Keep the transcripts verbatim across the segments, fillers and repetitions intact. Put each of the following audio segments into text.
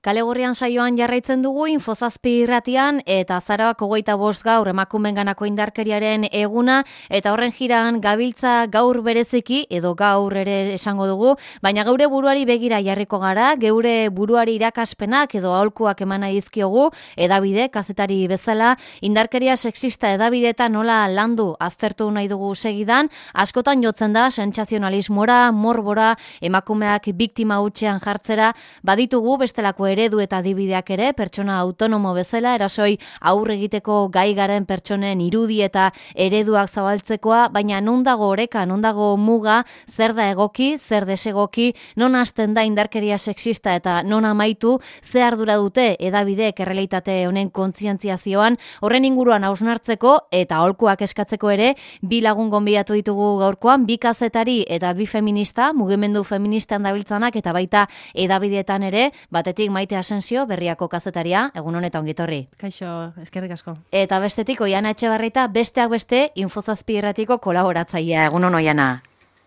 Kale Gorrian saioan jarraitzen dugu Infozazpi irratian eta azaroak hogeita bost gaur emakumeenganako indarkeriaren eguna eta horren jiran gabiltza gaur bereziki edo gaur ere esango dugu, baina geure buruari begira jarriko gara, geure buruari irakaspenak edo aholkuak emana dizkiogu edabide kazetari bezala indarkeria sexista edabideetan nola landu aztertu nahi dugu segidan, askotan jotzen da sentsazionalismora, morbora, emakumeak biktima hutsean jartzera, baditugu bestelako eredu eta adibideak ere, pertsona autonomo bezala, erasoi aurre egiteko gai garen pertsonen irudi eta ereduak zabaltzekoa, baina non dago oreka, non dago muga, zer da egoki, zer desegoki, non hasten da indarkeria sexista eta non amaitu, ze ardura dute edabideek errealitate honen kontzientziazioan, horren inguruan hausnartzeko eta aholkuak eskatzeko ere, bi lagun gonbidatu ditugu gaurkoan, bi kazetari eta bi feminista, mugimendu feministan dabiltzanak eta baita edabideetan ere, batetik Maite Asensio, Berriako kazetaria, egun honetan ongitorri. Kaixo, eskerrik asko. Eta bestetik Oiana Etxebarrieta, besteak beste, Infozazpi irratiko kolaboratzailea, egun hon Oiana.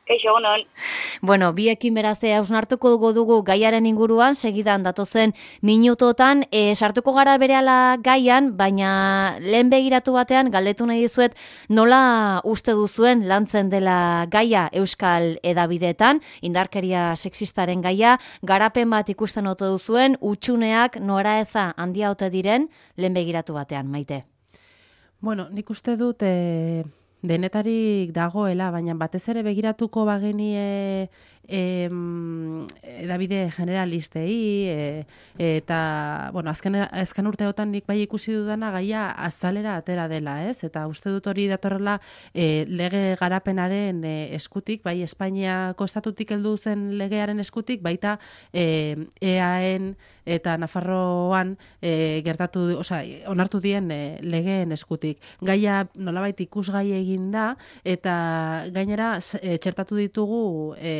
Kaixo, egun hon. Bueno, biekin berazea hausnartuko dugu dugu gaiaren inguruan, segidan datozen minutotan, e, sartuko gara berehala gaian, baina lehen begiratu batean, galdetu nahi dizuet, nola uste duzuen lantzen dela gaia Euskal edabideetan, indarkeria sexistaren gaia, garapen bat ikusten ote duzuen, utxuneak nora eza handia ote diren, lehen begiratu batean, Maite. Bueno, nik uste dut... E... denetarik dagoela, baina batez ere begiratuko bagenie em, edabide generalistei e, eta bueno, azken, azken urteotan nik bai ikusi dudana gaia azalera atera dela, ez? Eta uste dut hori datorrela e, lege garapenaren e, eskutik, bai Espainiako estatutik heldu zen legearen eskutik, baita e, eaen eta Nafarroan e, gertatu, osea, onartu dien e, legeen eskutik. Gaia nolabait ikusgai egin da eta gainera e, txertatu ditugu e,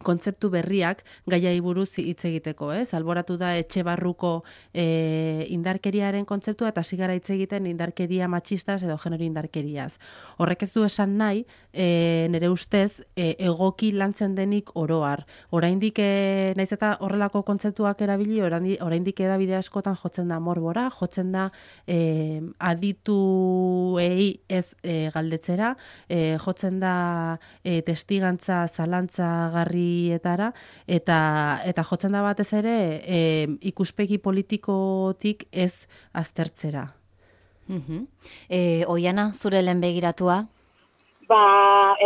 kontzeptu berriak gaiai buruz hitz egiteko, ez? Alboratu da etxe barruko e, indarkeriaren kontzeptua eta hasi gara hitz egiten indarkeria matxistaz edo genero indarkeriaz. Horrek ez du esan nahi, e, nire ustez, e, egoki lantzen denik oroar. Oraindik e, naiz eta horrelako kontzeptuak erabili, oraindik edabide askotan jotzen da morbora, jotzen da e, adituei ez e, galdetzera, e, jotzen da e, testigantza zalantzagarri etara, eta eta jotzen da batez ere e, ikuspegi politikotik ez aztertzera. Uh-huh. E, Oiana, zure lehen begiratua? Ba,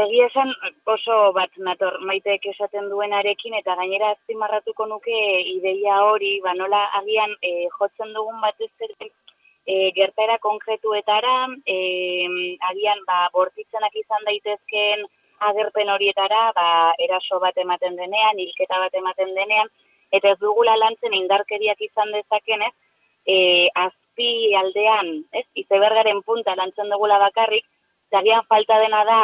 egia esan oso bat nator Maiteek esaten duenarekin eta gainera azpimarratuko nuke ideia hori, ba nola agian e, jotzen dugun batez ere e, gertaera konkretuetara, e, agian ba bortitzenak izan daitezkeen agerpen horietara, ba, eraso bat ematen denean, hilketa bat ematen denean, eta ez dugula lantzen indarkeriak izan dezakenez, e, azpi aldean, ez, izebergaren punta lantzen dugula bakarrik, zagian falta dena da,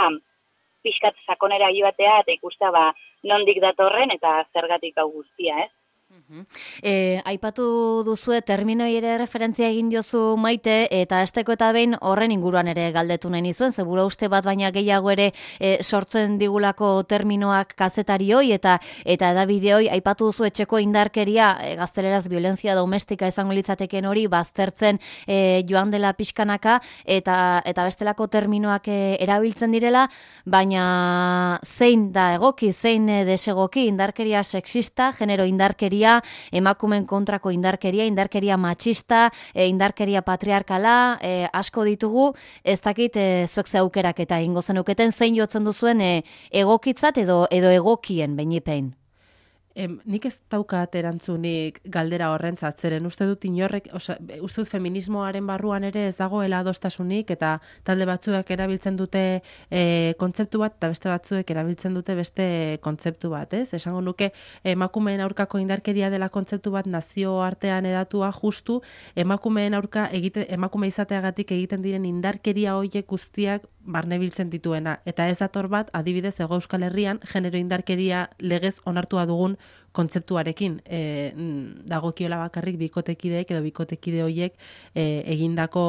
pixkat sakonera joatea, eta ikusta ba, nondik datorren, eta zergatik hau guztia, ez? Uh-huh. E, aipatu duzue terminoi ere referentzia egin diozu Maite eta esteko eta behin horren inguruan ere galdetu nahi nizuen, zebura uste bat baina gehiago ere e, sortzen digulako terminoak kazetarioi eta eta edabideoi aipatu duzu etxeko indarkeria, e, gazteleraz violentzia domestika izango litzateken hori baztertzen e, joan dela pixkanaka eta eta bestelako terminoak e, erabiltzen direla, baina zein da egoki, zein e, desegoki indarkeria sexista, genero indarkeria, emakumeen kontrako indarkeria, indarkeria matxista, e, indarkeria patriarkala, e, asko ditugu, ez dakit e, zuek ze aukerak eta ingo zenuketen zein jotzen duzuen e, egokitzat edo edo egokien beinipein. Em, nik ez daukat erantzunik galdera horrentzat, zeren uste dut inorrek, oza, uste dut feminismoaren barruan ere ez dagoela adostasunik eta talde batzuek erabiltzen dute e, kontzeptu bat eta beste batzuek erabiltzen dute beste kontzeptu bat, ez? Esango nuke emakumeen aurkako indarkeria dela kontzeptu bat nazio artean edatua justu emakumeen aurka egite, emakume izateagatik egiten diren indarkeria horiek guztiak barnebiltzen dituena. Eta ez dator bat, adibidez, Hego Euskal Herrian, genero indarkeria legez onartua dugun kontzeptuarekin e, dagokiola bakarrik bikotekideek edo bikotekide horiek e, egindako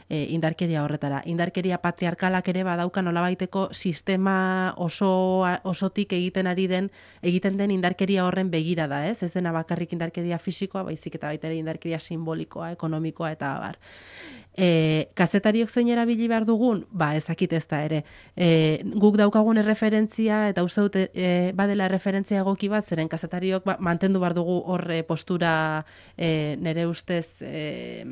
e, indarkeria horretara. Indarkeria patriarkalak ere badauka nolabaiteko sistema oso osotik egiten ari den egiten den indarkeria horren begira da, ez? Ez dena bakarrik indarkeria fisikoa, baizik eta baita ere indarkeria simbolikoa, ekonomikoa eta abar. E, kazetariok zein erabili behar dugun? Ba, ezakit ez da ere. E, guk daukagun erreferentzia, eta uste dute e, badela erreferentzia egoki bat, zeren kazetariok ba, mantendu behar dugu horre postura e, nere ustez e,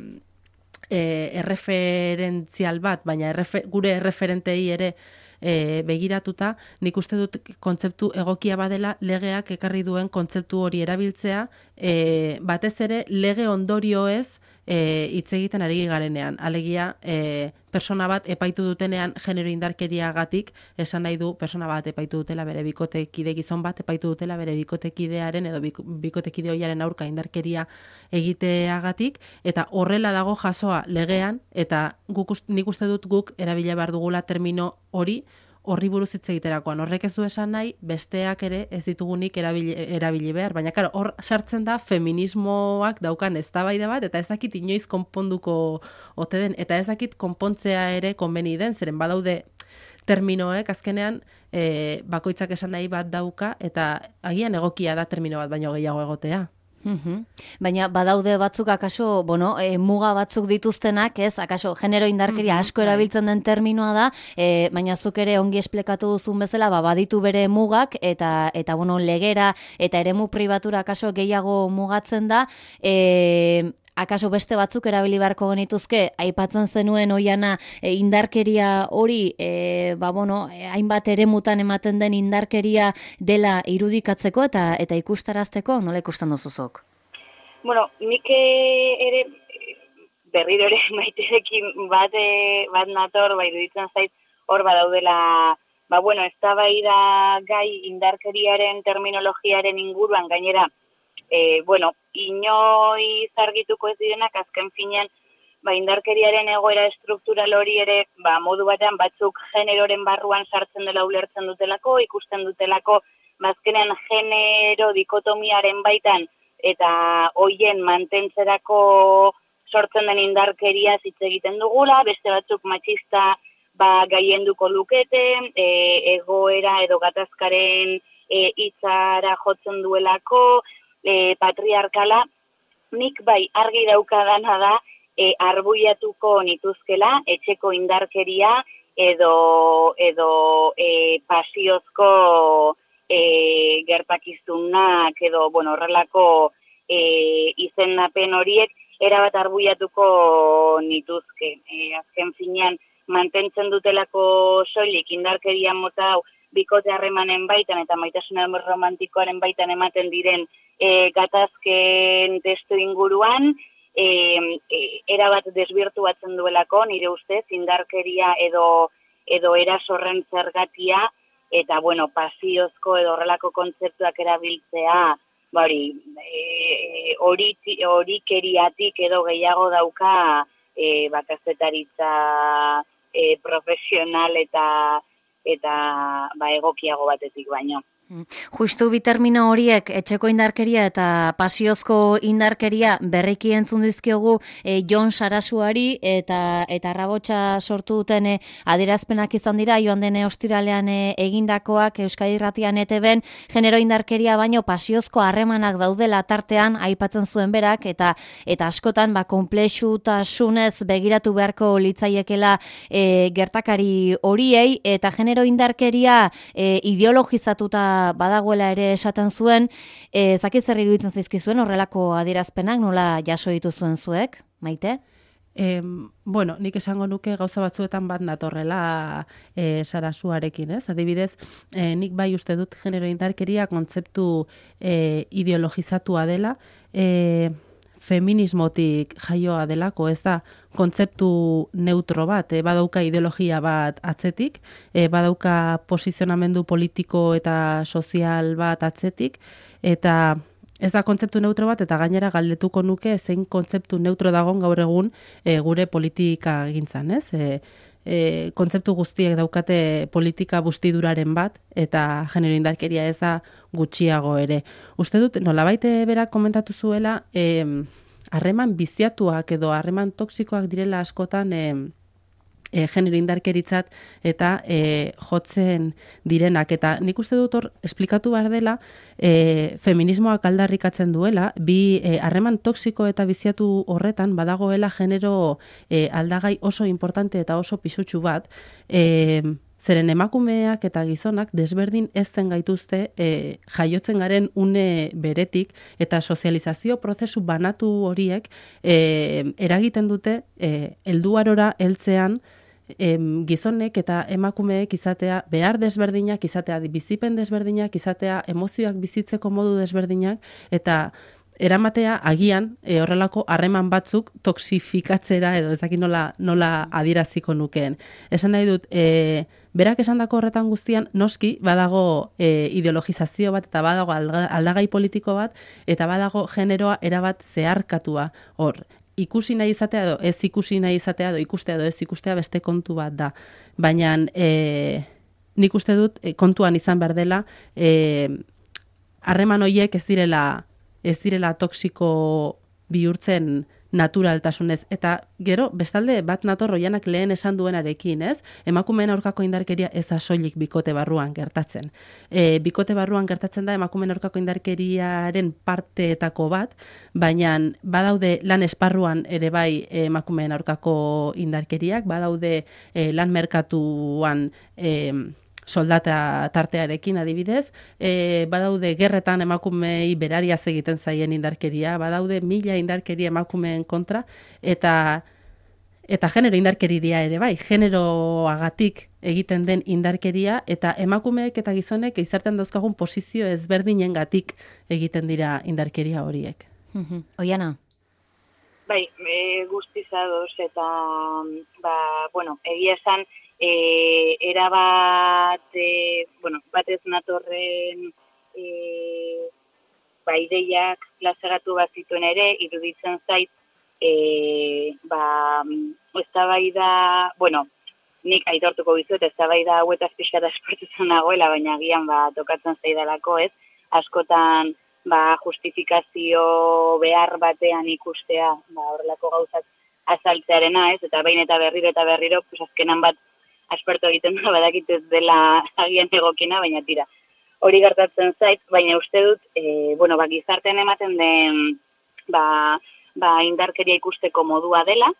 e, erreferentzial bat, baina errefer, gure erreferentei ere e, begiratuta, nik uste dut kontzeptu egokia badela legeak ekarri duen kontzeptu hori erabiltzea, e, batez ere lege ondorioez hitz egiten ari garenean. Alegia, e, persona bat epaitu dutenean genero indarkeriagatik, esan nahi du persona bat epaitu dutela bere bikotekide gizon bat, epaitu dutela bere bikotekidearen edo bikotekide hoiaren aurka indarkeria egiteagatik, eta horrela dago jasoa legean, eta guk, nik uste dut guk erabila behar dugula termino hori, horri buruz hitz egiterakoan. Horrek ez du esan nahi, besteak ere ez ditugunik erabili, erabili behar. Baina, karo, hor sartzen da feminismoak daukan eztabaida bat, eta ezakit inoiz konponduko ote den, eta ezakit konpontzea ere konbeni den, zeren badaude terminoek, azkenean, e, bakoitzak esan nahi bat dauka, eta agian egokia da termino bat, baino gehiago egotea. Uhum. Baina badaude batzuk akaso, bueno, e, muga batzuk dituztenak, ez? Akaso genero indarkeria Uhum, asko erabiltzen den terminoa da, e, baina zuk ere ongi esplikatu duzun bezala, ba, baditu bere mugak eta eta bueno, legera eta eremu pribatura akaso gehiago mugatzen da, e, akaso beste batzuk erabili beharko genituzke, aipatzen zenuen oiana e, indarkeria hori, e, ba, bueno, e, hainbat eremutan ematen den indarkeria dela irudikatzeko eta eta ikustarazteko, nola ikusten duzuzok? Bueno, nik ere berriro ere Maiterekin bat, bat nator, ba, iruditzen zait hor badaudela, ba, bueno, eztabaida gai indarkeriaren terminologiaren inguruan gainera, E, bueno, inoiz argituko ez direnak azken finean ba, indarkeriaren egoera estruktural hori ere ba, modu batean batzuk generoren barruan sartzen dela ulertzen dutelako, ikusten dutelako bazkenean genero dikotomiaren baitan eta hoien mantentzerako sortzen den indarkeria hitz egiten dugula, beste batzuk matxista ba, gaienduko lukete, e, egoera edo gatazkaren e, hitzara jotzen duelako, E, patriarkala, nik bai argi daukadana da e, arbuiatuko nituzkela etxeko indarkeria edo, edo e, pasiozko e, gertakizunak edo bueno, horrelako e, izendapen horiek erabat arbuiatuko nituzke. E, azken finean mantentzen dutelako soilik indarkeria mota hau bikote harremanen baitan eta maitasun romantikoaren baitan ematen diren e, gatazken testu inguruan, e, e, erabat desbirtuatzen duelako, nire ustez, indarkeria edo, edo erasorren zergatia, eta, bueno, pasiozko edo horrelako kontzeptuak erabiltzea, hori, e, hori keriatik edo gehiago dauka e, bakazetaritza e, profesional eta eta ba, egokiago batetik baino. Justu bi termino horiek, etxeko indarkeria eta pasiozko indarkeria berriki entzun dizkiogu e, Jon Sarasuari eta eta Arrabotsa sortu duten e, adierazpenak izan dira joan den ostiralean e, egindakoak Euskadi Irratian E T Bn genero indarkeria baino pasiozko harremanak daudela tartean aipatzen zuen berak eta eta askotan ba konplexutasunez begiratu beharko litzaiekela e, gertakari horiei eta genero indarkeria e, ideologizatuta badagoela ere esaten zuen, e, zaki zer iruditzen zaizkizuen horrelako adierazpenak nola jaso dituzuen zuek, Maite? E, bueno, nik esango nuke gauza batzuetan bat natorrela e, Sarasuarekin, ez? Adibidez, e, nik bai uste dut genero indarkeria kontzeptu e, ideologizatua dela, e, feminismotik jaioa delako, ez da kontzeptu neutro bat, e, badauka ideologia bat atzetik, e, badauka posizionamendu politiko eta sozial bat atzetik, eta ez da kontzeptu neutro bat, eta gainera galdetuko nuke zein kontzeptu neutro dagon gaur egun e, gure politika gintzan, ez? E, e, kontzeptu guztiek daukate politika bustiduraren bat, eta genero indarkeria ez da gutxiago ere. Uste dut, nolabait berak komentatu zuela, harreman biziatuak edo harreman toksikoak direla askotan e, e, genero indarkeritzat eta e, jotzen direnak. Eta nik uste dut hor, esplikatu behar dela, e, feminismoak aldarrikatzen duela, bi harreman e, toksiko eta biziatu horretan badagoela genero e, aldagai oso importante eta oso pisutsu bat, e, zeren emakumeak eta gizonak desberdin ez zen gaituzte e, jaiotzen garen une beretik eta sozializazio prozesu banatu horiek e, eragiten dute e, helduarora heltzean e, gizonek eta emakumeek izatea behar desberdinak, izatea bizipen desberdinak, izatea emozioak bizitzeko modu desberdinak eta eramatea agian e, horrelako harreman batzuk toksifikatzera edo ez dakit nola, nola adieraziko nukeen. Esan nahi dut, e, berak esandako horretan guztian noski badago e, ideologizazio bat eta badago aldagai politiko bat eta badago generoa erabat zeharkatua hor. Ikusi nahi izatea edo ez ikusi nahi izatea edo ikustea edo ez ikustea beste kontu bat da. Baina e, nik uste dut e, kontuan izan behar dela harreman e, horiek ez direla ez direla toksiko bihurtzen naturaltasunez. Eta gero, bestalde, bat nator Oianak lehen esan duenarekin, ez? Emakumeen aurkako indarkeria ez da soilik bikote barruan gertatzen. E, bikote barruan gertatzen da emakumeen aurkako indarkeriaren parteetako bat, baina badaude lan esparruan ere bai emakumeen aurkako indarkeriak, badaude e, lan merkatuan e, soldata tartearekin adibidez, e, badaude gerretan emakumei berariaz egiten zaien indarkeria, badaude mila indarkeria emakumeen kontra, eta eta genero indarkeria ere bai, generoagatik egiten den indarkeria, eta emakumeek eta gizonek izartean dauzkagun posizio ezberdinengatik egiten dira indarkeria horiek. Oiana? Bai, e, guztizadoz eta, ba, bueno, egia esan, E, erabat, e, bueno, batez natorren e, ba, ideiak plazaratu bat zituen ere, iruditzen zait, e, ba, eztabaida, bueno, nik aitortuko bizuet, eztabaida hauetaz pixka da esportutzen nagoela, baina agian ba, tokatzen zaidalako ez, askotan ba, justifikazio behar batean ikustea, ba, horrelako gauzak azaltzearena ez, eta behin eta berriro eta berriro, pues azkenan bat, aspertu egiten da, badakit ez dela agian egokina, baina tira. Hori gertatzen zait, baina uste dut, e, bueno, ba, gizartean ematen den ba, ba, indarkeria ikusteko modua dela,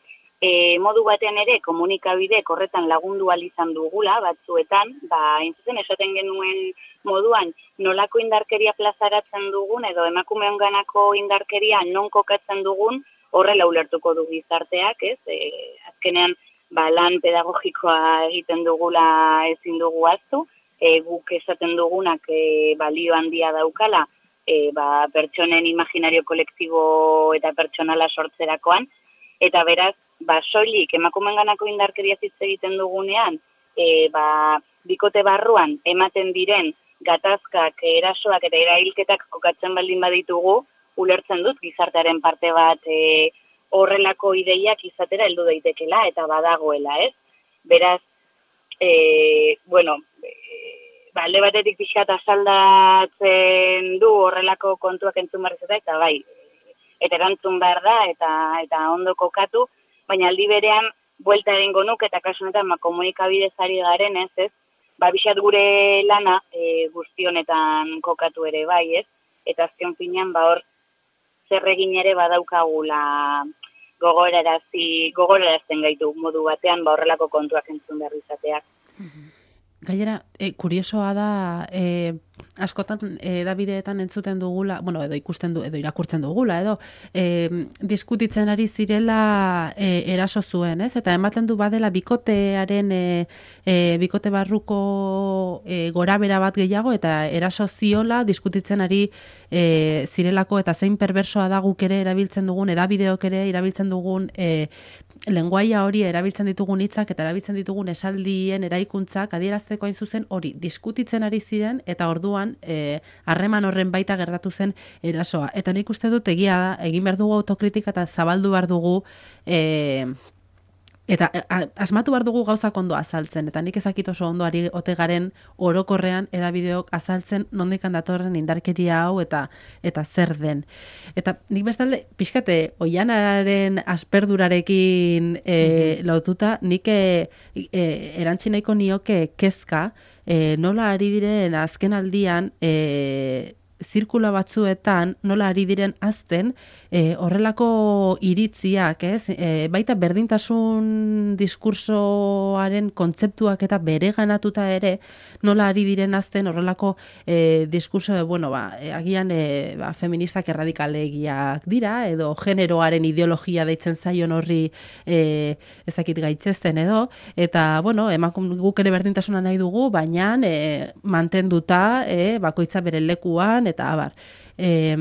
e, modu batean ere komunikabide horretan lagundu ahal izan dugula, batzuetan, ba, intzuzen esaten genuen moduan, nolako indarkeria plazaratzen dugun, edo emakumeon ganako indarkeria non kokatzen dugun, horrela ulertuko du gizarteak, ez? E, azkenean, ba, lan pedagogikoa egiten dugula ezin dugu aztu, e, guk esaten dugunak e, balio handia daukala, e, ba, pertsonen imaginario kolektibo eta pertsonala sortzerakoan, eta beraz, ba, soilik emakumenganako indarkeria hitz egiten dugunean, e, ba, bikote barruan ematen diren gatazkak, erasoak eta erailketak kokatzen baldin baditugu, ulertzen dut gizartearen parte bat e, horrelako ideiak izatera heldu daitekela eta badagoela, ez? Beraz, e, bueno, e, ba, alde batetik pixkat asaldatzen du horrelako kontuak entzun barrizeta, eta bai, eta erantzun behar da, eta, eta ondo kokatu, baina aldi berean, buelta egingo nuk, eta kasunetan, ma, komunikabidez ari garen, ez, ez? Ba, bixat gure lana e, guztionetan kokatu ere bai, ez? Eta azken finean, ba, hor, zer egin ere badaukagula gogorarazi, gogorarazten gaitu modu batean, ba horrelako kontuak entzun behar izateak. Gainera, e, kuriosoa da, e, askotan e, edabideetan entzuten dugula, bueno, edo ikusten du, edo irakurtzen dugula, edo e, diskutitzen ari zirela e, eraso zuen, ez? Eta ematen du badela bikotearen, e, e, bikote barruko e, gorabera bat gehiago, eta eraso ziola diskutitzen ari e, zirelako, eta zein perversoa da guk ere erabiltzen dugun, edabideok ere erabiltzen dugun e, lenguaia hori erabiltzen ditugun hitzak eta erabiltzen ditugun esaldien eraikuntzak adierazteko hain zuzen hori diskutitzen ari ziren eta orduan harreman e, horren baita gertatu zen erasoa. Eta nik uste dut egia da, egin behar dugu autokritika eta zabaldu behar dugu e, Eta a, asmatu behar dugu gauzak ondo azaltzen, eta nik ezakit oso ondo ari ote garen orokorrean edabideok azaltzen nondikan datorren indarkeria hau eta eta zer den. Eta nik bestalde, pixkate, oianaren asperdurarekin e, mm-hmm. lotuta, nik e, e, erantzi nahiko nioke kezka, e, nola ari diren azken aldian, e, zirkula batzuetan nola ari diren azten e, horrelako iritziak, ez? E, baita berdintasun diskursoaren kontzeptuak eta bereganatuta ere nola ari diren azten horrelako e, diskurso de, bueno, ba, agian e, ba, feministak erradikalegiak dira, edo generoaren ideologia deitzen zaion horri e, ezakit gaitzesten edo, eta, bueno, emakum guk ere berdintasuna nahi dugu, baina e, mantenduta e, bakoitza bere lekuan, eta abar. E,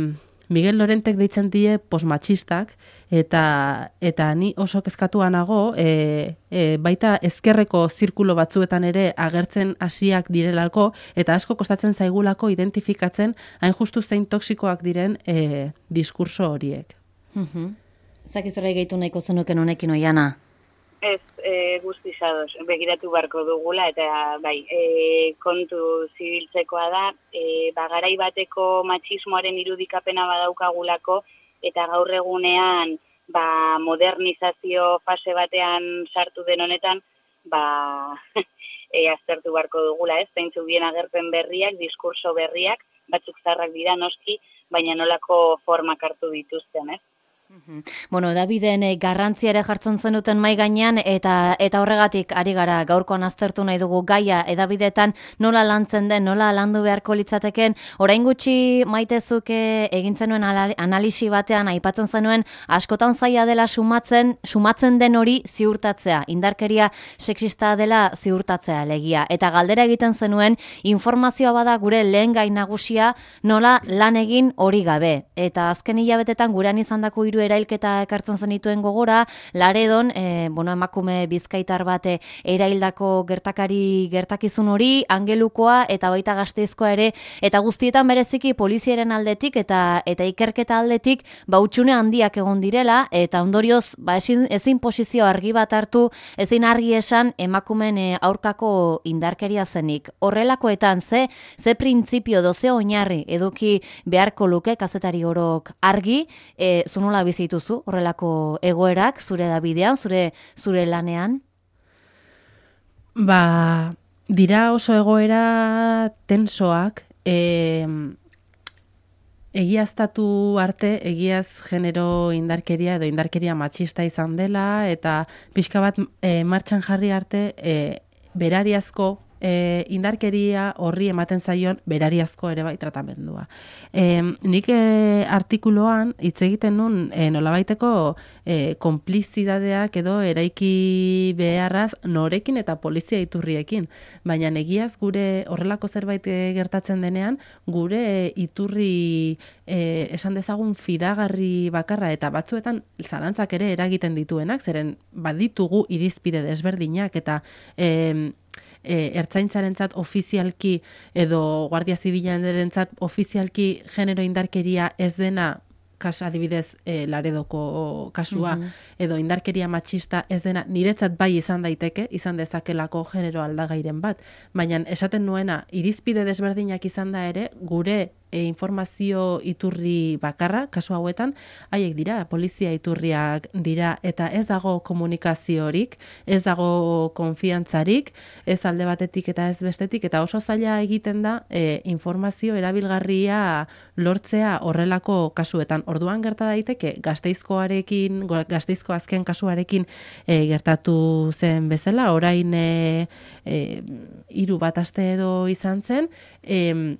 Miguel Lorentek deitzen die posmatxistak, eta eta ni oso kezkatua nago, e, e, baita ezkerreko zirkulo batzuetan ere agertzen hasiak direlako, eta asko kostatzen zaigulako identifikatzen hain justu zein toksikoak diren e, diskurso horiek. Mhm. Zakizorra gehitu nahiko zenuken honekin Oiana? Ez, e, guztizadoz, begiratu barko dugula, eta bai, e, kontu zibiltzekoa da, e, bagarai bateko matxismoaren irudikapena badaukagulako, eta gaur egunean, ba, modernizazio fase batean sartu den honetan, ba, e, aztertu barko dugula, ez, zeintzu bien agerpen berriak, diskurso berriak, batzuk zarrak dira noski, baina nolako formak hartu dituzten, ez? Bueno, Daviden eh, garrantzia ere jartzen zenuten mai gainean eta eta horregatik ari gara gaurkoan aztertu nahi dugu gaia edabidetan nola lantzen den, nola landu beharko litzateken. Orain gutxi Maitezuk egin zenuen analisi batean aipatzen zenuen askotan zaila dela sumatzen, sumatzen den hori ziurtatzea, indarkeria sexista dela ziurtatzea legia. Eta galdera egiten zenuen informazioa bada gure lehen gai nagusia nola lan egin hori gabe. Eta azken hilabetetan gurean izandako hiru erailketa ekartzen zenituen gogora, Laredon, e, bueno, emakume bizkaitar bate eraildako gertakari gertakizun hori, Angelukoa eta baita Gasteizkoa ere, eta guztietan bereziki poliziaren aldetik eta eta ikerketa aldetik bautxune handiak egon direla, eta ondorioz ba, ezin, ezin posizio argi bat hartu, ezin argi esan emakumen e, aurkako indarkeria zenik. Horrelakoetan, ze, ze printzipio doze oinarri eduki beharko luke kazetari orok argi, e, zunola bizituzu horrelako egoerak zure Dabidean, zure zure lanean? Ba, dira oso egoera tensoak, e, egiaztatu arte, egiaz genero indarkeria edo indarkeria matxista izan dela, eta pixka bat e, martxan jarri arte e, berariazko E, indarkeria horri ematen zaion berariazko ere bai tratamendua. E, nik e, artikuloan hitz egiten nun e, nolabaiteko e, konplizidadeak edo eraiki beharraz norekin eta polizia iturriekin. Baina egiaz gure horrelako zerbait gertatzen denean, gure iturri e, esan dezagun fidagarri bakarra eta batzuetan zalantzak ere eragiten dituenak, zeren baditugu irizpide desberdinak eta e, E, ertzaintzarentzat ofizialki edo Guardia Zibilarentzat ofizialki genero indarkeria ez dena, kas adibidez e, Laredoko kasua, mm-hmm. edo indarkeria matxista ez dena, niretzat bai izan daiteke, izan dezakelako genero aldagairen bat, baina esaten nuena irizpide desberdinak izan da ere, gure e, informazio iturri bakarra, kasu hauetan, haiek dira, polizia iturriak dira, eta ez dago komunikaziorik, ez dago konfiantzarik, ez alde batetik eta ez bestetik, eta oso zaila egiten da e, informazio erabilgarria lortzea horrelako kasuetan. Orduan gerta daiteke Gasteizkoarekin, Gasteizko azken kasuarekin e, gertatu zen bezala, orain e, e, hiru bat aste edo izan zen, e,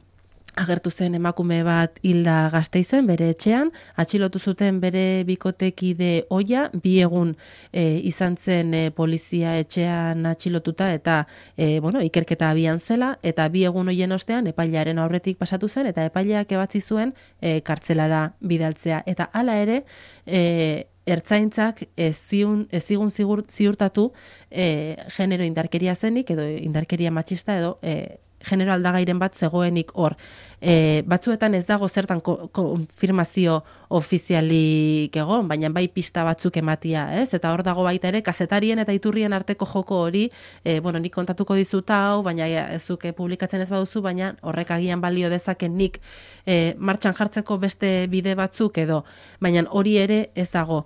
agertu zen emakume bat hilda Gasteizen, bere etxean, atxilotu zuten bere bikotekide ohia, bi egun e, izan zen e, polizia etxean atxilotuta eta e, bueno, ikerketa abian zela, eta bi egun hoien ostean epailaren aurretik pasatu zen, eta epaileak ebatzi zuen e, kartzelara bidaltzea. Eta hala ere, e, ertzaintzak ez ziun, ez zigun ziurtatu e, genero indarkeria zenik, edo indarkeria matxista, edo e, genero aldagairen bat zegoenik hor. E, batzuetan ez dago zertan ko, konfirmazio ofizialik egon, baina bai pista batzuk ematia, ez? Eta hor dago baita ere, kazetarien eta iturrien arteko joko hori, e, bueno, nik kontatuko dizut hau, baina ez zuke publikatzen ez baduzu, baina horrek agian balio dezaken nik e, martxan jartzeko beste bide batzuk edo, baina hori ere ez dago.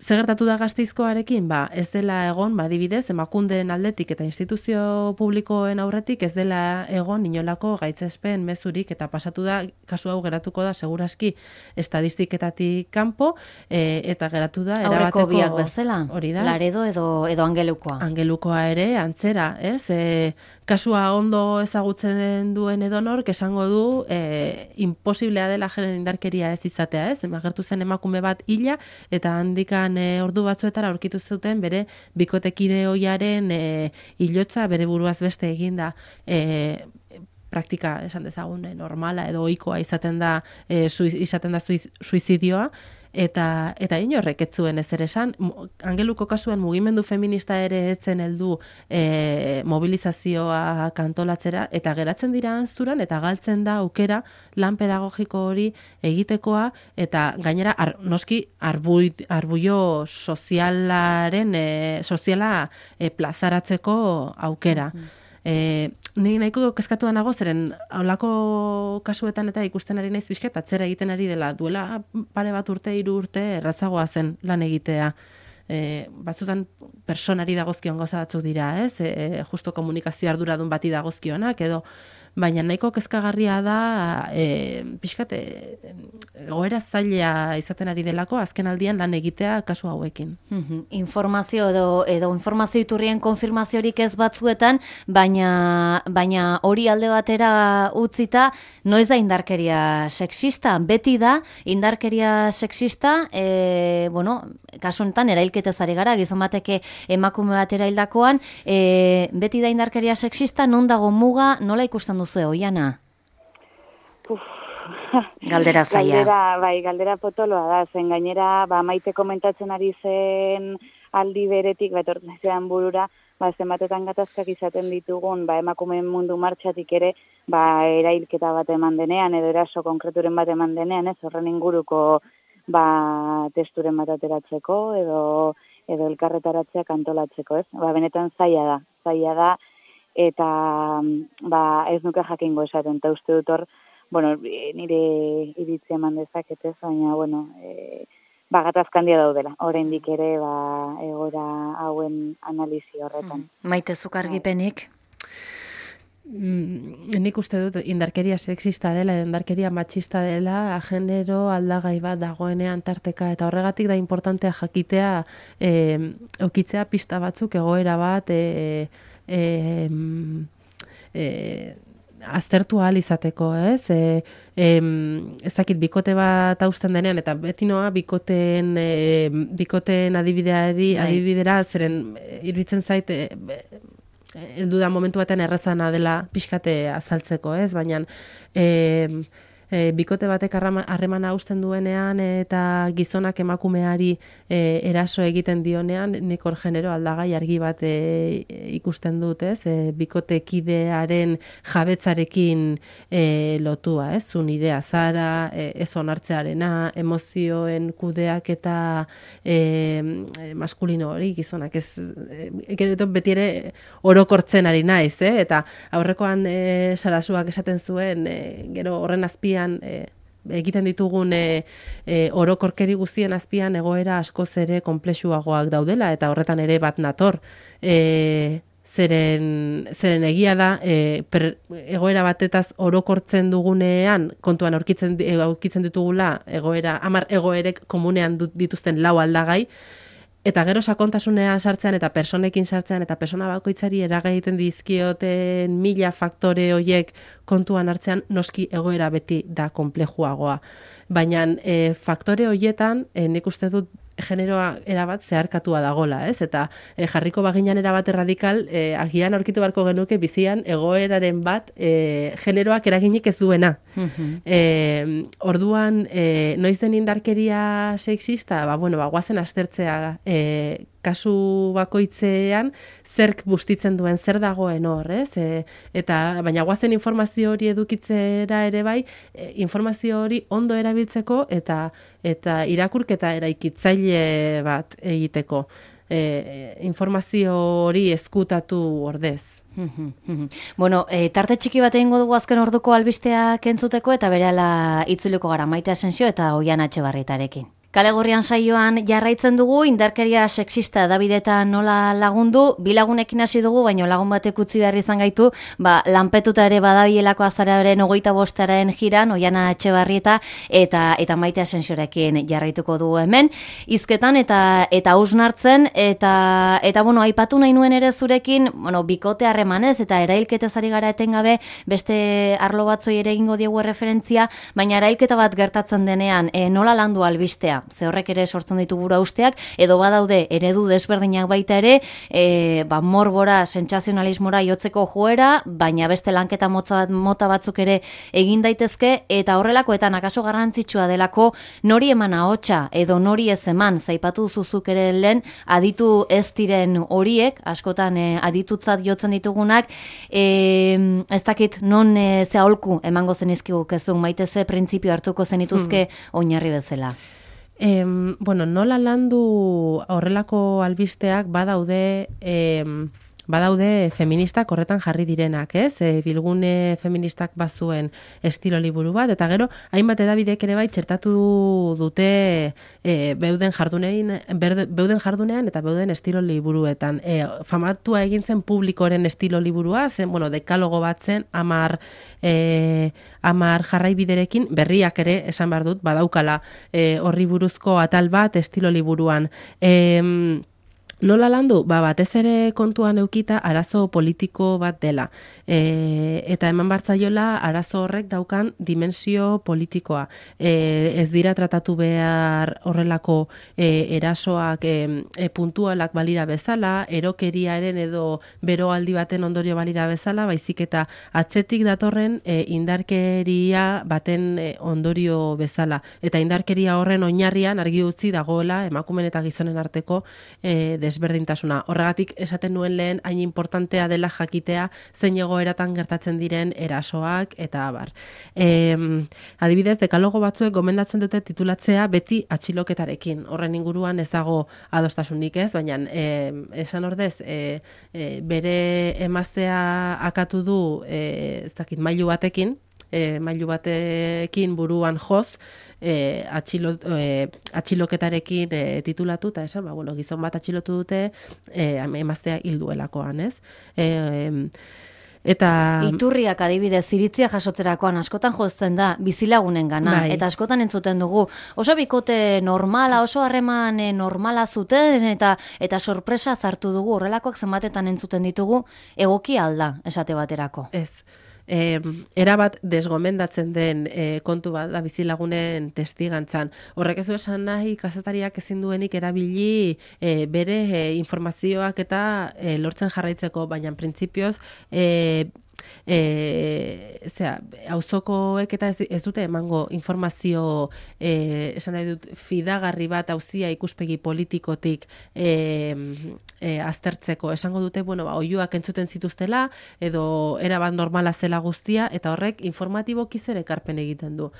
Zer gertatu da Gasteizkoarekin? Ba, ez dela egon, badibidez, Emakunderen aldetik eta instituzio publikoen aurretik ez dela egon inolako gaitzespen mezurik eta pasatu da, kasu hau geratuko da segurazki estadistiketatik kanpo e, eta geratu da erabateko... Aurreko biak bezala, hori da. Laredo edo, edo Angelukoa. Angelukoa ere, antzera, ez? E, kasua ondo ezagutzen duen edonork esango du e, imposiblea dela genero indarkeria ez izatea, ez? Agertu zen emakume bat hila eta handikan E, ordu batzuetara aurkitu zuten bere bikotekide oiaren e, hilotza bere buruaz beste eginda e, praktika esan dezagun normala edo ohikoa izaten da e, suiz, izaten da suiz, suizidioa eta eta inorrek ez zuen ezer esan. Angeluko kasuan mugimendu feminista ere etzen heldu e, mobilizazioa kantolatzera eta geratzen dira antzuran eta galtzen da aukera lan pedagogiko hori egitekoa eta gainera ar, noski arbui, arbuio sozialaren e, soziala e, plazaratzeko aukera. Mm-hmm. E, ni nahiko kezkatu nago zeren holako kasuetan eta ikusten ari naiz pixka atzera egiten ari dela duela pare bat urte hiru urte errazagoa zen lan egitea. E, batzutan personari dagozkion gauza batzuk dira, ez? E, justo komunikazio arduradun bati dagozkionak edo baina nahiko kezkagarria da e, pixkat e, egoera zaila izaten ari delako azken aldian lan egitea kasu hauekin. Mm-hmm. Informazio edo, edo informazio iturrien konfirmaziorik ez batzuetan, baina, baina hori alde batera utzita, noiz da indarkeria sexista? Beti da indarkeria sexista, e, bueno, kasu honetan erailketez ari gara, gizon bateke emakume bat eraildakoan, e, beti da indarkeria sexista, non dago muga, nola ikusten duzue, Oiana? Uf. Galdera zaila. Galdera, bai, galdera potoloa da, zen gainera, ba, Maite komentatzen ari zen aldi beretik, betortzen zean burura, ba, zenbatetan gatazkak izaten ditugun, ba, emakumeen mundu martxatik ere, ba, erailketa bat eman denean, edo eraso konkreturen bat eman denean, ez, horren inguruko, ba, testuren bat ateratzeko, edo, edo elkarretaratzeak antolatzeko, ez? Ba, benetan zaila da, zaila da, eta ba, ez nuke jakingo esaten, eta uste dut hor, bueno, nire iritzia eman dezaketez, baina, bueno, e, ba, gatazkandia daudela, oraindik ere, ba, egora hauen analizi horretan. Maite zuk argipenik? Mm, nik uste dut indarkeria sexista dela, indarkeria matxista dela, genero aldagai bat dagoenean tarteka, eta horregatik da importantea jakitea, e, eukitzea pista batzuk egoera bat, e, e, e, aztertu ahal izateko, ez? E, e, ezakit, bikote bat hausten denean, eta beti noa bikoteen, e, bikoteen adibideari, adibidera, zeren iruditzen zait, e, heldu da momentu baten errazana dela pixkate azaltzeko, ez? Baina e, e, bikote batek harremana hausten duenean eta gizonak emakumeari e, eraso egiten dionean, nik hor genero aldagai argi bat e, ikusten dut, ez? E, bikotekidearen jabetzarekin e, lotua, ez? Zu nire azara, e, ez onartzearena, emozioen kudeak eta e, maskulino hori gizonak, ez? E, beti ere orokortzen ari naiz, eh? Eta aurrekoan e, Sarasuak esaten zuen, e, gero horren azpian E, egiten ditugun e, e, orokorkeri guztien azpian egoera askoz ere konplexuagoak daudela eta horretan ere bat nator. E, zeren, zeren egia da e, per, egoera batetaz orokortzen dugunean kontuan aurkitzen, aurkitzen ditugula egoera, hamar egoerek komunean dituzten lau aldagai, eta gero sakontasunean sartzean eta personekin sartzean eta persona bakoitzari eragiten dizkioten mila faktore horiek kontuan hartzean noski egoera beti da konplejuagoa. Baina e, faktore horietan e, nik uste dut generoa erabat zeharkatua dagola, ez? Eta e, jarriko baginan erabat erradikal, e, agian aurkitu beharko genuke bizian egoeraren bat e, generoak eraginik ez duena. Mm-hmm. E, orduan, e, noiz den indarkeria sexista, ba, bueno, ba, guazen aztertzea e, kasu bakoitzean zerk bustitzen duen, zer dagoen hor, ez? E, eta baina guazen informazio hori edukitzera ere bai, e, informazio hori ondo erabiltzeko eta eta irakurketa eraikitzaile bat egiteko. E, informazio hori ezkutatu ordez. Bueno, e, tarte txiki bat egingo dugu azken orduko albisteak entzuteko eta berehala itzuliko gara Maite Asensio eta Oiana Etxebarrietarekin. Kale Gorrian saioan jarraitzen dugu, indarkeria sexista edabidetan nola lagundu, bilagunekin hasi dugu, baina lagun batek utzi behar izan gaitu, ba, lanpetuta ere badabilako azararen ogeita bostaren jiran, Oiana Etxebarrieta eta eta Maite Asensiorekin jarraituko dugu hemen, hizketan eta eta hausnartzen, eta, eta bueno, aipatu nahi nuen ere zurekin, bueno, bikote harremanez eta erailketez ari gara etengabe, beste arlo batzoi ere egingo diegu referentzia, baina erailketa bat gertatzen denean, e, nola landu albistea? Ze horrek ere sortzen ditu gura usteak, edo badaude eredu desberdinak baita ere, e, ba, morbora, sentsazionalismora jotzeko joera, baina beste lanketa motza, mota batzuk ere egin daitezke, eta horrelakoetan akaso garrantzitsua delako nori eman ahotsa edo nori ez eman, zaipatu zuzuk ere lehen, aditu ez diren horiek, askotan e, aditutzat jotzen ditugunak, e, ez dakit non e, ze aholku emango zenizkigu kezun, Maite ze printzipio hartuko zenituzke hmm. oinarri bezala. Em, bueno, nola landu horrelako albisteak badaude em, badaude feministak horretan jarri direnak, ez? E, bilgune feministak bazuen estilo liburu bat, eta gero, hainbat edabidek ere bai txertatu dute e, beuden jardunein, berde, beuden jardunean eta beuden estilo liburuetan. E, famatua egin zen publikoren estilo liburua, zen, bueno, dekalogo bat zen, amar, e, amar jarraibiderekin, berriak ere, esan behar dut, badaukala e, horri buruzko atal bat estilo liburuan. E, Nola landu? Ba, batez ere kontuan eukita arazo politiko bat dela. E, eta eman bartzaiola arazo horrek daukan dimensio politikoa. E, ez dira tratatu behar horrelako e, erasoak e, e, puntualak balira bezala, erokeriaren edo beroaldi baten ondorio balira bezala, baizik eta atzetik datorren e, indarkeria baten e, ondorio bezala. Eta indarkeria horren oinarrian argi utzi dagoela emakumen eta gizonen arteko e, desberdintasuna. Horregatik esaten nuen lehen hain importantea dela jakitea zein egoeratan gertatzen diren erasoak eta abar. E, adibidez, dekalogo batzuek gomendatzen dute titulatzea beti atxiloketarekin. Horren inguruan ez dago adostasunik ez, baina e, esan ordez e, e, bere emaztea akatu du e, ez dakit mailu batekin, e, mailu batekin buruan joz, E, atxilo, e, atxiloketarekin e, titulatu, eta esan, ba, bueno, gizon bat atxilotu dute e, emaztea hilduelakoan, ez? E, eta... Iturriak adibidez, iritzia jasotzerakoan askotan jozten da, bizilagunen gana, bai. Eta askotan entzuten dugu, oso bikote normala, oso harreman normala zuten, eta eta sorpresa zartu dugu, horrelakoak zenbatetan entzuten ditugu, egoki alda, esate baterako. Ez. E, erabat desgomendatzen den e, kontu bat da bizilagunen testigantzan. Horrek ez du esan nahi kazetariak ezin duenik erabili e, bere e, informazioak eta e, lortzen jarraitzeko, baina printzipioz e, E, zera, auzokoek eta ez, ez dute emango informazio e, esan nahi dut fidagarri bat auzia ikuspegi politikotik e, e, aztertzeko. Esango dute, bueno, ba, oihuak entzuten zituztela edo erabat normala zela guztia eta horrek informatiboki zer ekarpen egiten du.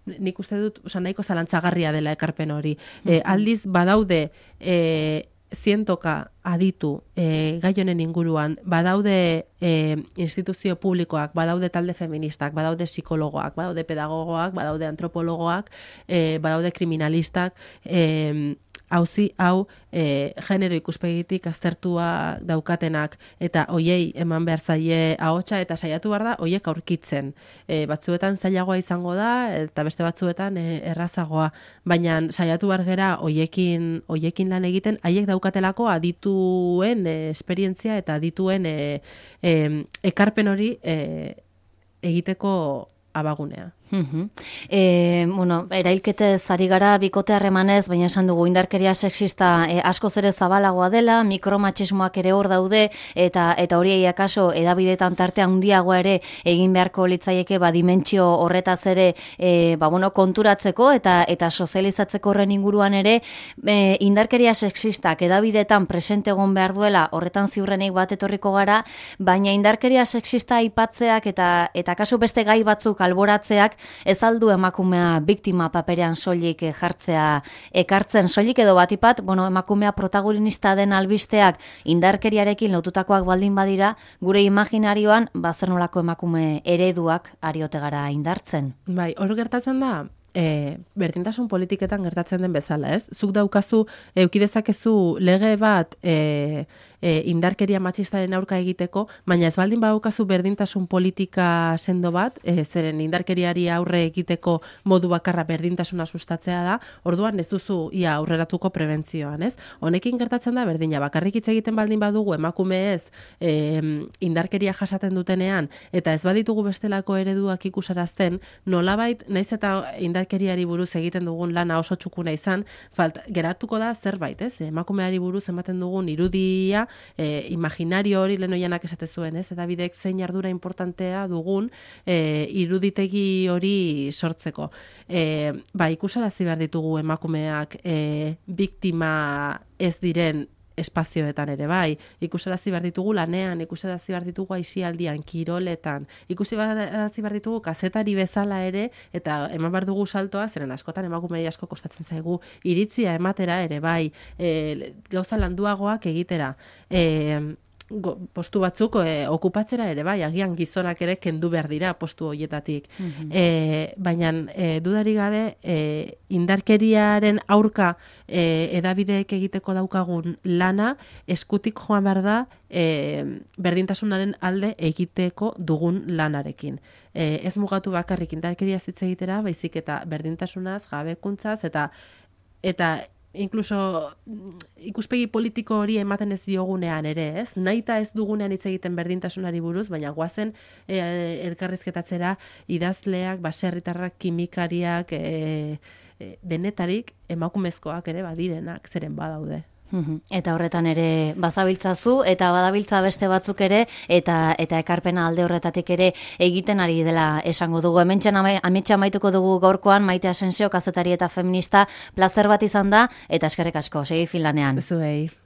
Nik uste dut, osa, nahiko zalantzagarria dela ekarpen hori. E, aldiz badaude e, zientoka aditu e, gai honen inguruan, badaude e, instituzio publikoak, badaude talde feministak, badaude psikologoak, badaude pedagogoak, badaude antropologoak, e, badaude kriminalistak, e, auzi hau e, genero ikuspegitik aztertua daukatenak eta hoiei eman behar zaie ahotsa eta saiatu behar da hoiek aurkitzen. E, batzuetan zailagoa izango da eta beste batzuetan e, errazagoa, baina saiatu behar gera hoiekin, hoiekin lan egiten, haiek daukatelako adituen e, esperientzia eta adituen e, e, ekarpen hori e, egiteko abagunea. Mhm. E, bueno, erailketez ari gara bikote harremanez, baina esan dugu indarkeria sexista e, askoz ere zabalagoa dela, mikromatxismoak ere hor daude, eta eta horiei akaso edabidetan tarte handiagoa ere egin beharko litzaieke ba dimentsio horretaz ere e, ba, bueno, konturatzeko eta eta sozializatzeko horren inguruan ere e, indarkeria sexistak edabidetan presente egon behar duela, horretan ziurrenik bat etorriko gara, baina indarkeria sexista aipatzeak eta eta kasu beste gai batzuk alboratzeak ez aldu emakumea biktima paperean soilik jartzea ekartzen soilik edo batipat, bueno, emakumea protagonista den albisteak indarkeriarekin lotutakoak baldin badira, gure imaginarioan bazer nolako emakume ereduak ariote gara indartzen. Bai, hor gertatzen da, E, berdintasun politiketan gertatzen den bezala, ez? Zuk daukazu, eukidezakezu lege bat e, e, indarkeria matxistaren aurka egiteko, baina ez baldin badaukazu berdintasun politika sendo bat, e, zeren indarkeriari aurre egiteko modu bakarra berdintasuna sustatzea da, orduan ez duzu ia aurreratuko prebentzioan, ez? Honekin gertatzen da berdina, bakarrik hitz egiten baldin badugu emakumeez e, indarkeria jasaten dutenean, eta ez baditugu bestelako ereduak ikusarazten, nolabait, naiz eta indar indarkeriari buruz egiten dugun lana oso txukuna izan, falt, geratuko da zerbait, ez? Emakumeari buruz ematen dugun irudia, e, imaginario hori lehen oianak esate zuen, ez? Eta bidek zein ardura importantea dugun e, iruditegi hori sortzeko. E, ba, ikusarazi behar ditugu emakumeak e, biktima ez diren espazioetan ere bai, ikusarazi behar ditugu lanean, ikusarazi behar ditugu aisialdian, kiroletan, ikusarazi behar ditugu kazetari bezala ere, eta eman behar dugu saltoa, zeren askotan emakumei asko kostatzen zaigu iritzia ematera ere bai, e, gauza landuagoak egitera, e, Go, postu batzuk e, okupatzera ere bai, agian gizonak ere kendu behar dira postu horietatik. Mm-hmm. e, baina e, dudari gabe e, indarkeriaren aurka e, edabideek egiteko daukagun lana eskutik joan behar da e, berdintasunaren alde egiteko dugun lanarekin. E, ez mugatu bakarrik indarkeria hitz egitera, baizik eta berdintasunaz, jabekuntzaz, eta eta inkluso ikuspegi politiko hori ematen ez diogunean ere, ez? Nahita ez dugunean hitz egiten berdintasunari buruz, baina goazen e, elkarrizketatzera idazleak, baserritarrak, kimikariak, e, e, denetarik emakumezkoak ere badirenak zeren badaude. Eta horretan ere bazabiltzazu eta badabiltza beste batzuk ere eta eta ekarpena alde horretatik ere egiten ari dela esango dugu. Hementxan ametsa amaituko dugu gaurkoan Maite Asensio kazetari eta feminista, plazer bat izan da eta eskerrik asko, segi filanean. Zuei.